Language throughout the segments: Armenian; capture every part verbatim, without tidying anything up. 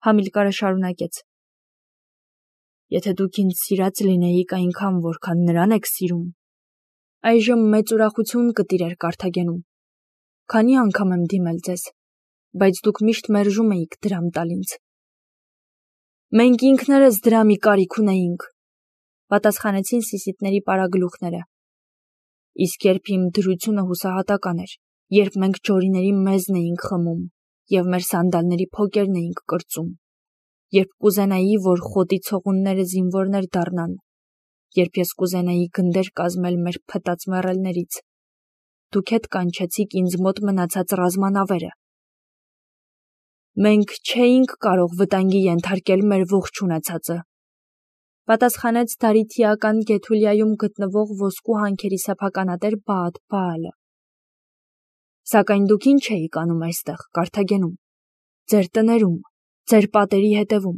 Համիլկարը շարունակեց. Եթե դուք ինձ սիրած լինեիք այնքան, որքան նրան եք սիրում, այժմ մեծ ուրախություն կտիրեր Կարթագենում։ Քանի անգամ եմ դիմել ձեզ, բայց դուք միշտ մերժում էիք դրամ տալ ինձ։ Մենք ինքներս դրամի կարիք ունեինք, պատասխանեցին սիսիթների պարագլուխները։ Իսկ երբ իմ դրությունը հուսահատական էր, երբ մենք ջորիների մեզն էինք խմում և մեր սանդալների փոկերն էինք կրծում, երբ կուզենայի, որ խոտի ցողունները զինվորներ դառնան, երբ ես կուզենայի գնդեր կազմել մեր փտած մեռելներից, դուք հետ կանչեցիք ինձ մոտ մնացած ռազմանավերը։ Մենք չէինք կարող վտանգի ենթարկել մեր ողջ ունեցածը, պատասխանեց Դարիթիական Գեթուլիայում գտնվող ոսկու հանքերի սեփականատեր Բաաթ Բաալը։ Սակայն դուք ինչ էիք անում այստեղ, Կարթագենում, ձեր տներում, ձեր պատերի հետևում։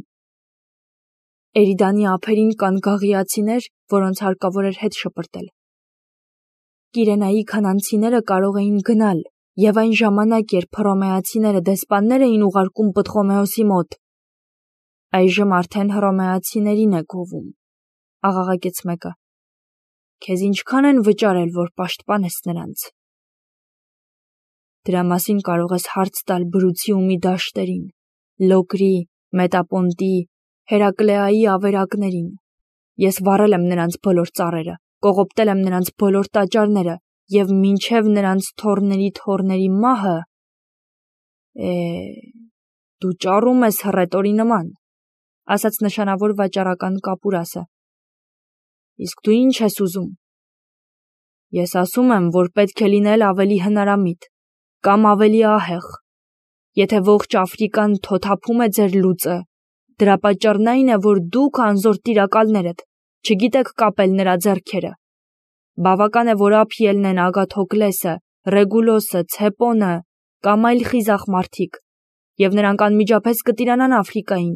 Էրիդանի ափերին կան գաղիացիներ, որոնց հարկավոր էր հետ շպրտել։ Կիրենայի քանանցիները կարող էին գնալ, և այն ժամանակ, երբ հռոմեացիները դեսպաններ էին ուղարկում Պտղոմեոսի մոտ, այժմ արդեն հռոմեացիներին է գովում, աղաղակեց մեկը։ Քեզ ինչքան են վճարել, որ պաշտպանես նրանց։ Դրա մասին կարող ես հարց տալ Բրուցիումի դաշտերին, Լոկրի, Մետապոնտի, Հերակլեայի ավերակներին։ Ես վառել եմ նրանց բոլոր ծառերը, կողոպտել եմ նրանց բոլոր տաճարները և մինչև նրանց թոռների թոռների մահը… Է, դու ճառում ես հռետորի նման, ասաց նշանավոր վաճառական Կապուրասը։ Իսկ դու ինչ ես ուզում։ Ես ասում եմ, որ պետք է լինել ավելի հնարամիտ, կամ ավելի ահեղ։ Եթե ողջ Աֆրիկան թոթափում է ձեր լուծը, դրա պատճառն այն է, որ դուք անզոր տիրակալներդ չգիտեք կապել նրա ձեռքերը։ Բավական է, որ ափ ելնեն Ագաթոկլեսը, Ռեգուլոսը, Ցեպոնը կամ այլ խիզախ մարդիկ, և նրանք անմիջապես կտիրանան Աֆրիկային։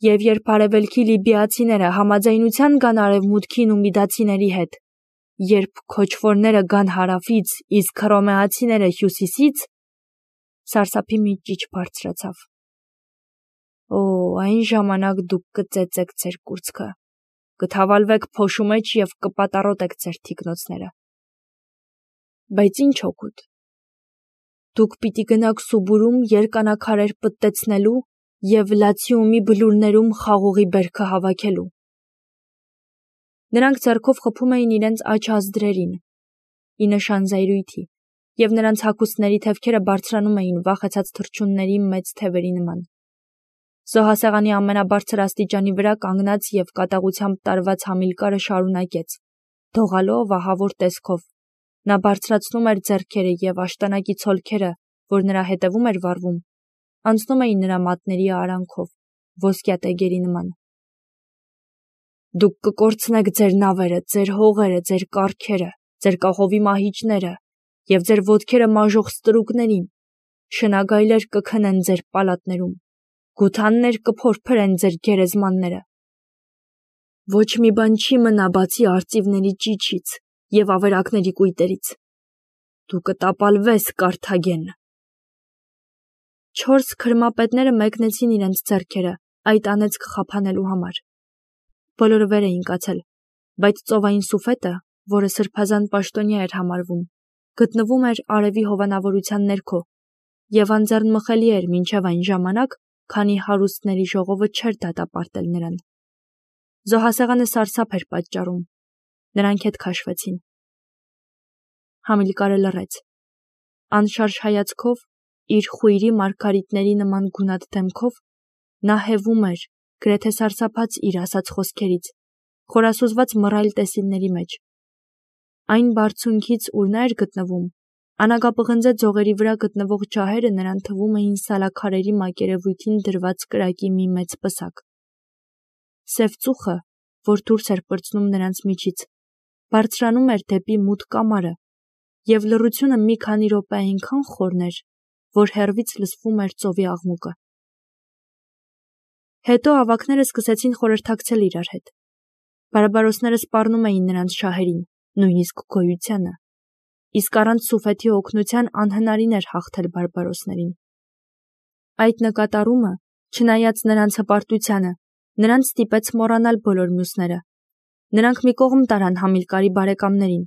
Եվ երբ արևելքի լիբիացիները համաձայնության գան արևմուտքին ու միդացիների հետ, երբ քոչվորները գան հարավից, իսկ հռոմեացիները հյուսիսից, սարսափի մի ճիչ բարձրացավ։ Օ, այն ժամանակ դուք կծեծեք ձեր կուրծքը, կթավալվեք փոշու մեջ և կպատառոտեք ձեր թիկնոցները։ Բայց ինչ օգուտ։ Դուք պիտի գնաք Սուբուրում երկանաքարեր պտտեցնելու և Լացիումի բլուրներում խաղողի բերքը հավաքելու։ Նրանք ձեռքով խփում էին իրենց աջ ազդրերին, ի նշան զայրույթի, և նրանց հագուստների թևքերը բարձրանում էին վախեցած թռչունների մեծ թևերի նման։ Զոհասեղանի ամենաբարձր աստիճանի վրա կանգնած և կատաղությամբ տարված Համիլկարը շարունակեց, դողալով ահավոր տեսքով։ Նա բարձրացնում էր ձեռքերը և աշտանակի ցոլքերը, որ նրա հետևում էր վառվում, անցնում էին նրա մատների արանքով, ոսկյա տեգերի նման։ Դուք կկորցնեք ձեր նավերը, ձեր հողերը, ձեր կառքերը, ձեր կահովի մահիճները և ձեր ոտքերը մաժող ստրուկներին, շնագայլեր կքնեն ձեր պալատներում, գութաններ կփորփրեն ձեր գերեզմանները։ Ոչ մի բան չի մնա բացի արծիվների ճիչից և ավերակների կույտերից։ Դու կտապալվես, Կարթագեն։ Չորս քրմապետները մեկնեցին իրենց ձեռքերը այդ անեծք խափանելու համար։ Բոլորը վեր էին կացել, բայց ծովային սուֆետը, որը սրբազան պաշտոնյա էր համարվում, գտնվում էր արևի հովանավորության ներքո և անձեռնմխելի էր մինչև այն ժամանակ, քանի հարուստների ժողովը չէր դատապարտել նրան։ Զոհասեղանը սարսափ էր պատճառում։ Նրանք հետ քաշվեցին։ Համիլկարը լռեց։ Անշարժ հայացքով, իր խույրի մարգարիտների նման գունատ դեմքով, նա հևում էր, գրեթե սարսափած իր ասած խոսքերից, խորասուզված մռայլ տեսիլների մեջ։ Այն բարձունքից, ուր նա էր գտնվում, անագապղնձե ձողերի վրա գտնվող ջահերը նրան թվում էին սալաքարերի մակերևույթին դրված կրակի մի մեծ պսակ։ Սև ծուխը, որ դուրս էր պրծնում նրանց միջից, բարձրանում էր դեպի մութ կամարը, և լռությունը մի քանի րոպե այնքան խորն էր, որ հեռվից լսվում էր ծովի աղմուկը։ Հետո ավագները սկսեցին խորհրդակցել իրար հետ։ Բարբարոսները սպառնում էին նրանց շահերին, նույնիսկ գոյությանը, իսկ առանց սուֆեթի օգնության անհնարին էր հաղթել բարբարոսներին։ Այդ նկատառումը Չնայած նրանց հպարտությանը, նրանց ստիպեց մոռանալ բոլոր մյուսները։ Նրանք մի կողմ տարան Համիլկարի բարեկամներին։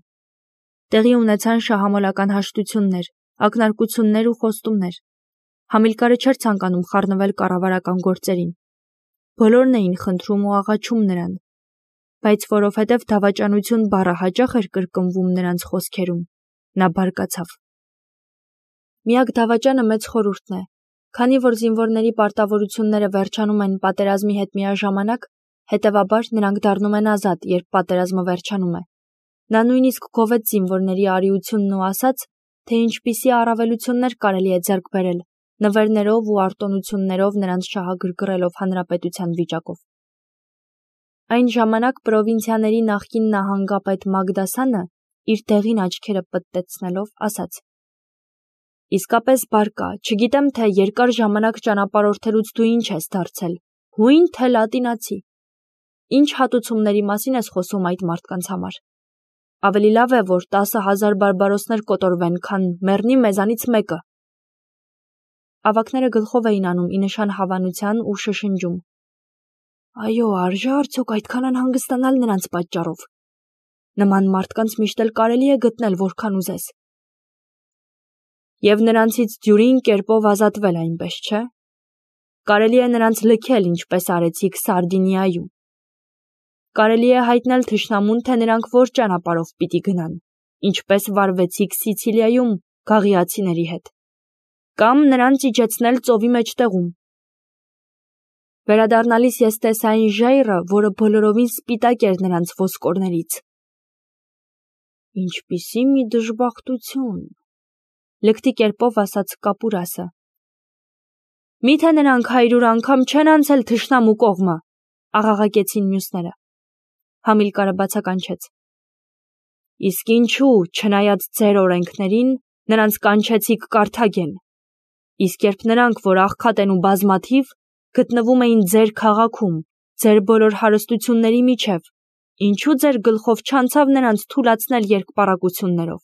Տեղի ունեցան շահամոլական հաշտություններ, ակնարկություններ ու խոստումներ։ Համիլկարը չէր ցանկանում խառնվել կառավարական գործերին։ Բոլորն էին խնդրում ու աղաչում նրան, բայց որովհետև դավաճանություն բառը հաճախ էր կրկնվում նրանց խոսքերում, նա բարկացավ։ Միակ դավաճանը մեծ խորհուրդն է, քանի որ զինվորների պարտավորությունները վերջանում են պատերազմի հետ միաժամանակ, հետևաբար նրանք դառնում են ազատ, երբ պատերազմը վերջանում է։ Նա նույնիսկ գովեց զինվորների արիությունն ու ասաց, թե ինչպիսի առավելություններ կարելի է ձեռք բերել, նվերներով ու արտոնություններով նրանց շահագրգռելով հանրապետության վիճակով։ Այն ժամանակ պրովինցիաների նախկին նահանգապետ Մագդասանը իր դեղին աչքերը պտտեցնելով ասաց. «Իսկապես բարկա, չգիտեմ, թե երկար ժամանակ ճանապարհորդելուց դու ինչ ես դարձել, հույն թե լատինացի։ Ինչ հատուցումների մասին ես խոսում այդ մարդկանց համար։ Ավելի լավ է, որ տասը հազար բարբարոսներ կոտորվեն, քան մեռնի մեզանից մեկը»։ Ավագները գլխով էին անում ի նշան հավանության ու շշնջում. «Այո, արժե արդյոք այդքան անհանգստանալ նրանց պատճառով։ Նման մարդկանց միշտ էլ կարելի է գտնել, որքան ուզես։ Եվ նրանցից դյուրին կերպով ազատվել, այնպես չէ։ Կարելի է նրանց լքել, ինչպես արեցիք Սարդինիայում։ Կարելի է հայտնել թշնամուն, թե նրանք որ ճանապարհով պիտի գնան, ինչպես վարվեցիք Սիցիլիայում գաղիացիների հետ, կամ նրանց իջեցնել ծովի մեջտեղում։ Վերադառնալիս ես տեսա այն ժայռը, որը բոլորովին սպիտակ էր նրանց ոսկորներից։ Ինչպիսի մի դժբախտություն, լկտի կերպով ասաց Կապուրասը։ Միթե նրանք հայրուր անգամ չեն անցել թշնամու կողմը, աղաղակեցին մյուսները։ Համիլկարը բացականչեց. Իսկ ինչու, չնայած ձեր օրենքներին, նրանց կանչեցիք Կարթագեն, իսկ երբ նրանք, որ աղքատ են ու բազմաթիվ, գտնվում էին ձեր քաղաքում, ձեր բոլոր հարստությունների միջև, ինչու ձեր գլխով չանցավ նրանց թուլացնել երկպառակություններով։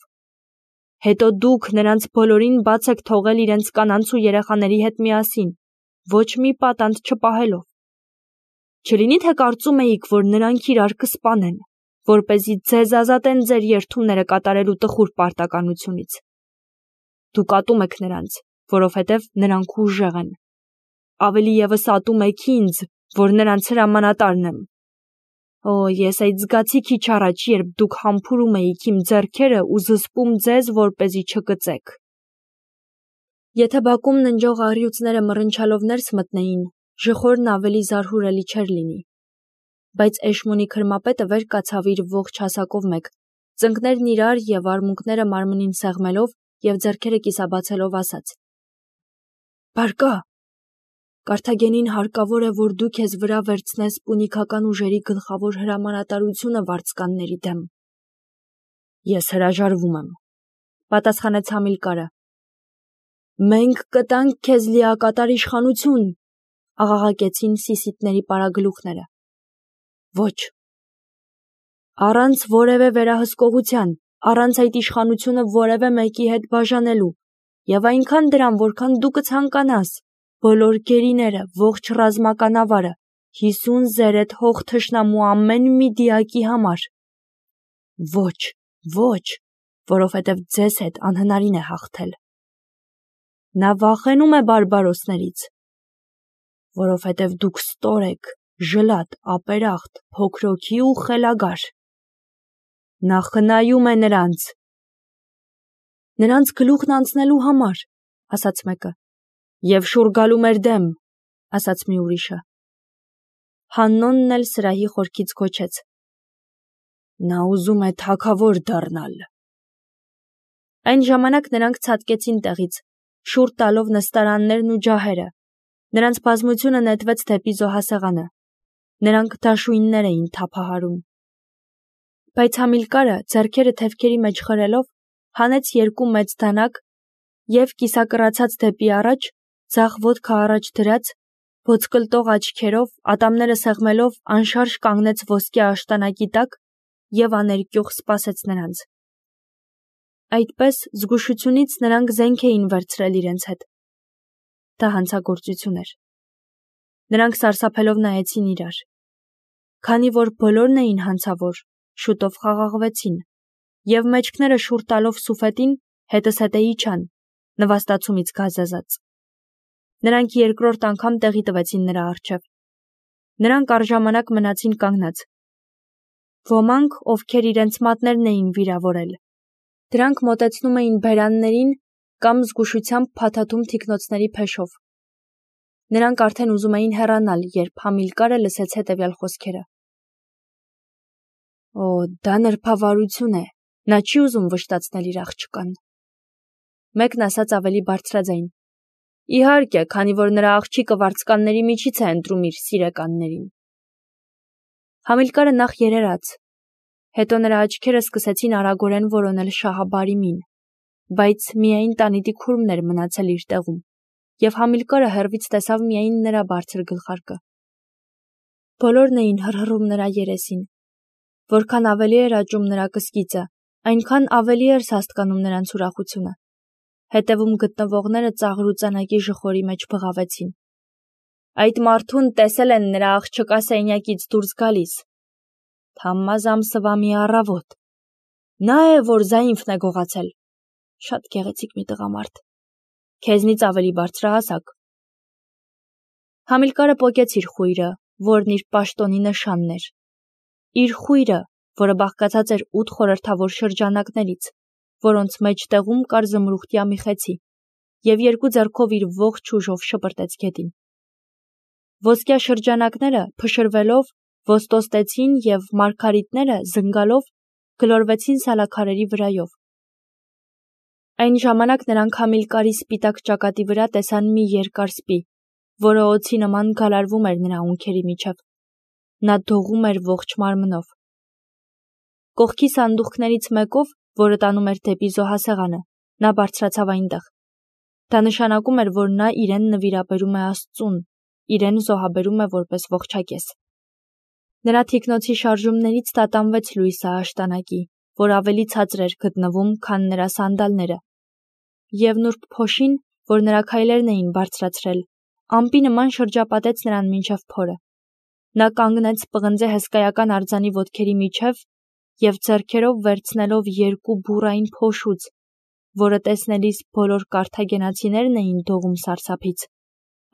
Հետո դուք նրանց բոլորին բաց եք թողել իրենց կանանց ու երեխաների հետ միասին, ոչ մի պատանդ չպահելով։ Չլինի թե կարծում էիք, որ նրանք իրար կսպանեն, որպեսզի ձեզ ազատեն ձեր երդումները կատարելու տխուր պարտականությունից։ Դուք ատում եք նրանց, որովհետև նրանք ուժեղ են։ Ավելի ևս ատում եք ինձ, որ նրանց հրամանատարն եմ։ Օ, ես այդ զգացի քիչ առաջ, երբ դուք համբուրում էիք իմ ձեռքերը ու զսպում ձեզ, որպեսզի չկծեք։ Եթե բակում ննջող առյուծները մռնչալով ներս մտնեին, ժխորն ավելի զարհուրելի չէր լինի։ Բայց Էշմոնի քրմապետը վեր կացավ իր ողջ հասակով մեկ, ծնկներն իրար և արմունկները մարմնին սեղմելով և ձեռքերը կիսաբացելով ասաց. Բարկա, Կարթագենին հարկավոր է, որ դու քեզ վրա վերցնես պունիկական ուժերի գլխավոր հրամանատարությունը վարձկանների դեմ։ Ես հրաժարվում եմ, պատասխանեց Համիլկարը։ Մենք կտանք քեզ լիակատար իշխանություն, աղաղակեցին սիսիթների պարագլուխները։ Ոչ։ Առանց որևէ վերահսկողության, առանց այդ իշխանությունը որևէ մեկի հետ բաժանելու, և այնքան դրան, որքան դու կցանկանաս, բոլոր գերիները, ողջ ռազմականավարը, հիսուն զերեթ հող թշնամու ամեն մի դիակի համար։ Ոչ, ոչ, որովհետև ձեզ հետ անհնարին է հաղթել։ Նա վախենում է բարբարոսներից, որովհետև դուք ստոր եք, ժլատ, ապերախտ, փոքրոքի ու խելագար։ Նա խնայում է նրանց։ Նրանց գլուխն անցնելու համար, ասաց մեկը, և շուռ գալու մեր դեմ, ասաց մի ուրիշը։ Հաննոնն էլ սրահի խորքից գոչեց. Նա ուզում է թագավոր դառնալ։ Այն ժամանակ նրանք ցատկեցին տեղից, շուռ տալով նստարաններն ու ջահերը։ Նրանց բազմությունը նետվեց դեպի զոհասեղանը։ Նրանք դաշույններ էին թափահարում։ Բայց Համիլկարը, ձեռքերը թևքերի մեջ խրելով, հանեց երկու մեծ դանակ և կիսակռացած դեպի առաջ, ձախ ոտքը առաջ դրած, ոսկլտող աչքերով, ատամները սեղմելով, անշարժ կանգնեց ոսկե աշտանակի տակ և աներկյուղ սպասեց նրանց։ Այդպես զգուշությունից նրանք զենք էին վերցրել իրենց հետ։ Դա հանցագործություն էր։ Նրանք սարսափելով նայեցին իրար։ Քանի որ բոլորն էին հանցավոր, շուտով խաղաղվեցին, և մեջքները շուռ տալով Սուֆետին հետզհետե իջան, նվաստացումից գազազած։ Նրանք երկրորդ անգամ տեղի տվեցին նրա առջև։ Նրանք առժամանակ մնացին կանգնած։ Ոմանք, ովքեր իրենց մատներն էին վիրավորել, դրանք մոտեցնում էին բերաններին կամ զգուշությամբ փաթաթում թիկնոցների փեշով։ Նրանք արդեն ուզում էին հեռանալ, երբ Համիլկարը լսեց հետևյալ խոսքերը. «Օ, դա նրբավարություն է, նա չի ուզում վշտացնել իր աղջկան»։ Մեկն ասաց ավելի բարձրաձայն. «Իհարկե, քանի որ նրա աղջիկը վարձկանների միջից է ընտրում իր սիրեկաններին»։ Համիլկարը նախ երերաց, հետո նրա աչքերը սկսեցին արագորեն որոնել Շահաբարիմին, բայց միայն տանիտի քուրմն էր մնացել իր տեղում, և Համիլկարը հեռվից տեսավ միայն նրա բարձր գլխարկը։ Բոլորն էին հռհռում նրա երեսին։ Որքան ավելի էր աճում նրա կսկիծը, այնքան ավելի էր սաստկանում նրանց ուրախությունը։ Հետևում գտնվողները ծաղրուծանակի ժխորի մեջ բղավեցին։ Այդ մարդուն տեսել են նրա աղջկա սենյակից դուրս գալիս։ Թամմազամսվա մի առավոտ։ Նա է, որ Զայինֆն է գողացել։ Շատ գեղեցիկ մի տղամարդ։ Քեզնից ավելի բարձրահասակ։ Համիլկարը պոկեց իր խույրը, որն իր պաշտոնի նշանն էր։ Իր խույրը, որը բաղկացած էր ութ խորհրդավոր շրջանակներից, որոնց մեջտեղում կար զմրուխտյա մի խեցի, և երկու ձեռքով իր ողջ ուժով շպրտեց գետին։ Ոսկյա շրջանակները, փշրվելով, ոստոստեցին և մարգարիտները, զնգալով, գլորվեցին սալաքարերի վրայով։ Այն ժամանակ նրանք Համիլկարի սպիտակ ճակատի վրա տեսան մի երկար սպի, որը օձի նման գալարվում էր նրա ունքերի միջև։ Նա դողում էր ողջ մարմնով։ Կողքի սանդուղքներից մեկով, որը տանում էր դեպի զոհասեղանը, նա բարձրացավ այնտեղ։ Դա նշանակում էր, որ նա իրեն նվիրաբերում է Աստծուն, իրեն զոհաբերում է որպես ողջակեզ։ Նրա թիկնոցի շարժումներից տատանվեց լույսը աշտանակի, որ ավելի ցածր էր գտնվում, քան նրա սանդալները, և նուրբ փոշին, որ նրա քայլերն էին բարձրացրել, ամպի նման շրջապատեց նրան մինչև փորը։ Նա կանգնեց պղնձե հսկայական արձանի ոտքերի միջև և ձեռքերով վերցնելով երկու բուռային փոշուց, որը տեսնելիս բոլոր կարթագենացիներն էին դողում սարսափից,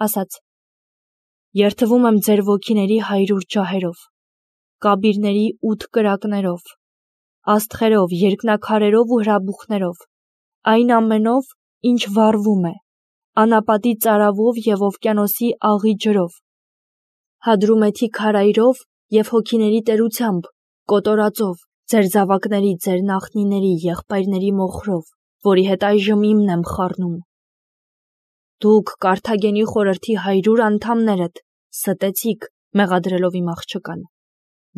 ասաց. «Երդվում եմ ձեր ոգիների հարյուր ջահերով, կաբիրների ութ կրակներով, աստղերով, երկնաքարերով ու հրաբուխներով, այն ամենով, ինչ վառվում է, անապատի ծարավով և օվկիանոսի աղի ջրով, Հադրումեթի քարայրով և հոգիների տերությամբ, կոտորածով, ձեր զավակների, ձեր նախնիների, եղբայրների մոխրով, որի հետ այժմ իմն եմ խառնում։ Դուք Կարթագենի խորհրդի հարյուր անդամներդ ստեցիք, մեղադրելով իմ աղջկան,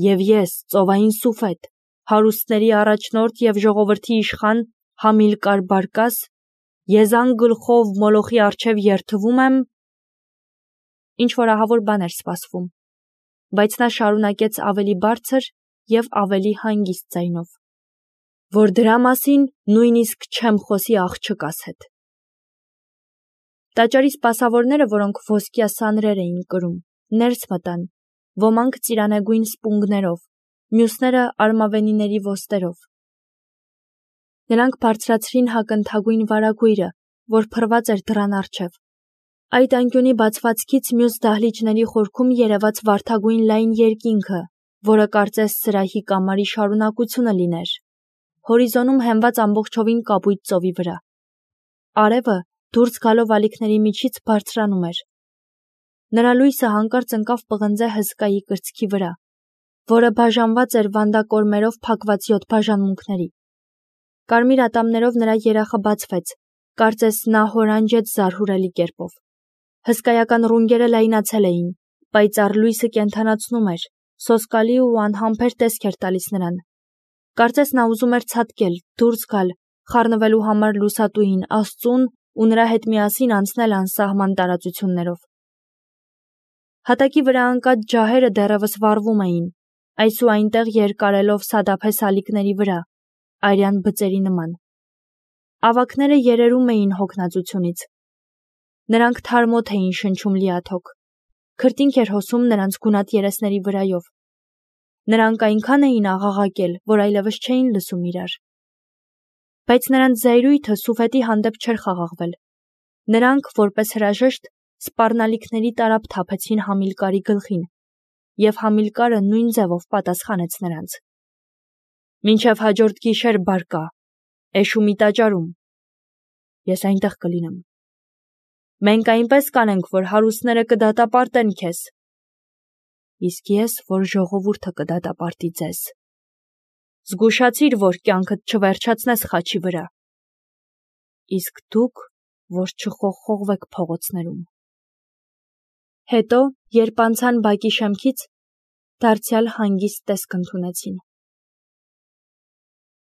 և ես, ծովային Սուֆետ, հարուստների առաջնորդ և ժողովրդի իշխան Համիլկար Բարկաս, եզան գլխով Մոլոխի առջև երդվում եմ»։ Ինչ-որ ահավոր բան էր սպասվում, բայց նա շարունակեց ավելի բարձր և ավելի հանգիստ ձայնով, որ դրա մասին նույնիսկ չեմ խոսի աղջկաս հետ։ Տաճարի սպասավորները, որոնք ոսկյա սանրեր էին կրում, ներս մտան, ոմանք ծիրանեգույն սպունգներով, մյուսները արմավենիների ոստերով։ Նրանք բարձրացրին հակընթագույն վարագույրը, որ փռված էր դռան առջև։ Այդ անկյունի բացվածքից մյուս դահլիճների խորքում երևաց վարդագույն լայն երկինքը, որը կարծես սրահի կամարի շարունակությունը լիներ, հորիզոնում հենված ամբողջովին կապույտ ծովի վրա։ Արևը, դուրս գալով ալիքների միջից, բարձրանում էր։ Նրա լույսը հանկարծ ընկավ պղնձե հսկայի կրծքի վրա, որը բաժանված էր վանդակորմերով փակված յոթ բաժանմունքների։ Կարմիր ատամներով նրա երախը բացվեց, կարծես նա հորանջեց զարհուրելի կերպով։ Հսկայական ռունգերը լայնացել էին, պայծառ լույսը կենդանացնում էր, սոսկալի ու անհամբեր տեսք էր տալիս նրան։ Կարծես նա ուզում էր ցատկել, դուրս գալ, խառնվելու համար լուսատուին, Աստծուն ու նրա հետ միասին անցնել անսահման տարածություններով։ Հատակի վրա ընկած ջահերը դեռևս վառվում էին, այս ու այնտեղ երկարելով սադափե սալիկների վրա, արյան բծերի նման։ Ավագները երերում էին հոգնածությունից։ Նրանք թարմոթ էին շնչում լիաթոք։ Քրտինք էր հոսում նրանց գունատ երեսների վրայով։ Նրանք այնքան էին աղաղակել, որ այլևս չէին լսում իրար։ Բայց նրանց զայրույթը Սուֆետի հանդեպ չէր խաղաղվել։ Նրանք, որպես հրաժեշտ, սպառնալիքների տարափ թափեցին Համիլկարի գլխին, և Համիլկարը նույն ձևով պատասխանեց նրանց. «Մինչև հաջորդ գիշեր բարկա, էշումի տաճարում, ես այնտեղ կլինեմ։ Մենք այնպես կանենք, որ հարուստները կդատապարտեն քեզ, իսկ ես, որ ժողովուրդը կդատապարտի ձեզ։ Զգուշացիր, որ կյանքդ չվերջացնես խաչի վրա, իսկ դուք, որ չխողխողվեք փողոցներում»։ Հետո, երբ անցան բակի շեմքից, դարձյալ հանգիստ տեսք ընդունեցին։